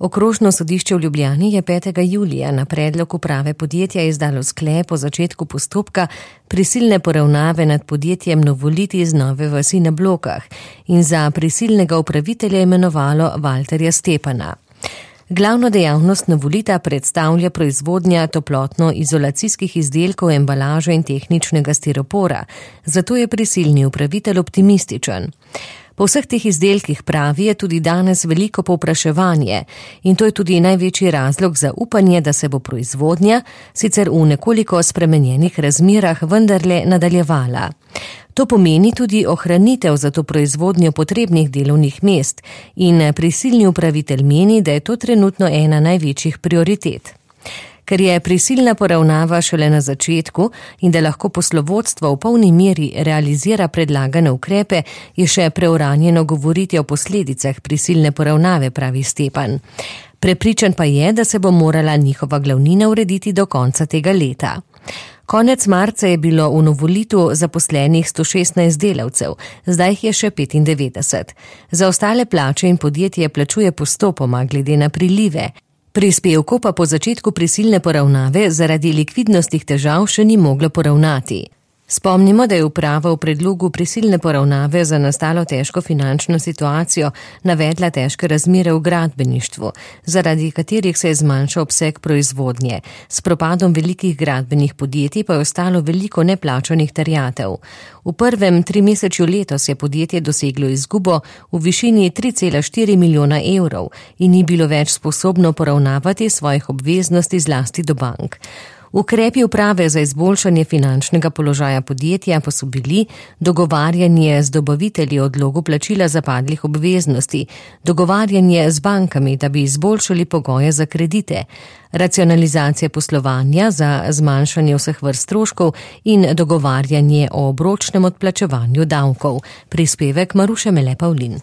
Okrožno sodišče v Ljubljani je 5. julija na predlog uprave podjetja izdalo sklep o začetku postopka prisilne poravnave nad podjetjem Novolit iz Nove vasi na Blokah in za prisilnega upravitelja imenovalo Valterja Stepana. Glavno dejavnost Novolita predstavlja proizvodnja toplotno-izolacijskih izdelkov, embalaže in tehničnega stiropora, zato je prisilni upravitelj optimističen. Po vseh teh izdelkih, pravi, je tudi danes veliko povpraševanje in to je tudi največji razlog za upanje, da se bo proizvodnja, sicer v nekoliko spremenjenih razmerah, vendarle nadaljevala. To pomeni tudi ohranitev za to proizvodnjo potrebnih delovnih mest in prisilni upravitelj meni, da je to trenutno ena največjih prioritet. Ker je prisilna poravnava šele na začetku in da lahko poslovodstvo v polni meri realizira predlagane ukrepe, je še preuranjeno govoriti o posledicah prisilne poravnave, pravi Stepan. Prepričan pa je, da se bo morala njihova glavnina urediti do konca tega leta. Konec marca je bilo v Novolitu zaposlenih 116 delavcev, zdaj jih je še 95. Za ostale plače in podjetje plačuje postopoma glede na prilive. Prispevkov pa po začetku prisilne poravnave zaradi likvidnostnih težav še ni moglo poravnati. Spomnimo, da je uprava v predlogu prisilne poravnave za nastalo težko finančno situacijo navedla težke razmere v gradbeništvu, zaradi katerih se je zmanjšal obseg proizvodnje. S propadom velikih gradbenih podjetij pa je ostalo veliko neplačanih terjatev. V prvem trimesečju letos je podjetje doseglo izgubo v višini 3,4 milijona evrov in ni bilo več sposobno poravnavati svojih obveznosti zlasti do bank. Ukrepi uprave za izboljšanje finančnega položaja podjetja pa so bili dogovarjanje z dobavitelji o odlogu plačila zapadlih obveznosti, dogovarjanje z bankami, da bi izboljšali pogoje za kredite, racionalizacija poslovanja za zmanjšanje vseh vrst stroškov in dogovarjanje o obročnem odplačevanju davkov. Prispevek Maruše Mele Pavlin.